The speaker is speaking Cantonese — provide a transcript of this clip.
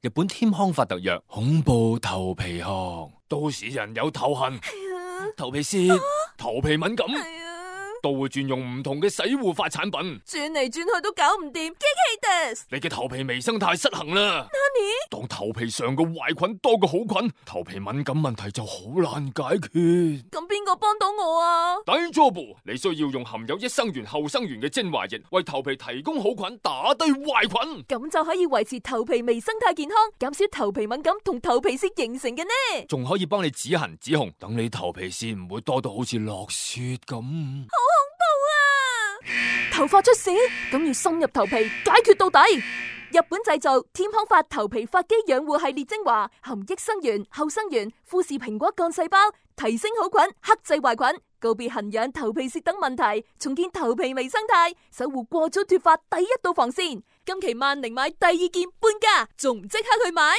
日本添康法特約恐怖頭皮殼，都市人有頭痕、頭皮屑、頭皮敏感，都會轉用唔同嘅洗護髮產品，轉嚟轉去都搞唔掂，激氣des。你嘅頭皮微生態失衡啦。當頭皮上嘅壞菌多過好菌，頭皮敏感問題就好難解決。咁邊個幫到我啊？大丈夫，你需要用含有益生元、後生元嘅精華液，為頭皮提供好菌，打低壞菌，咁就可以維持頭皮微生態健康，減少頭皮敏感同頭皮屑形成嘅呢。仲可以幫你止痕止紅，等你頭皮屑唔會多到好似落雪咁。頭髮出事，咁要深入頭皮解決到底。日本製造添康髮頭皮髮肌養護系列精華，含益生元、後生元、富士蘋果幹細胞，提升好菌，克制壞菌，告別痕癢、頭皮屑等問題，重建頭皮微生態，守護過早脫髮第一道防線。今期萬寧買第2件半價，仲唔即刻去買？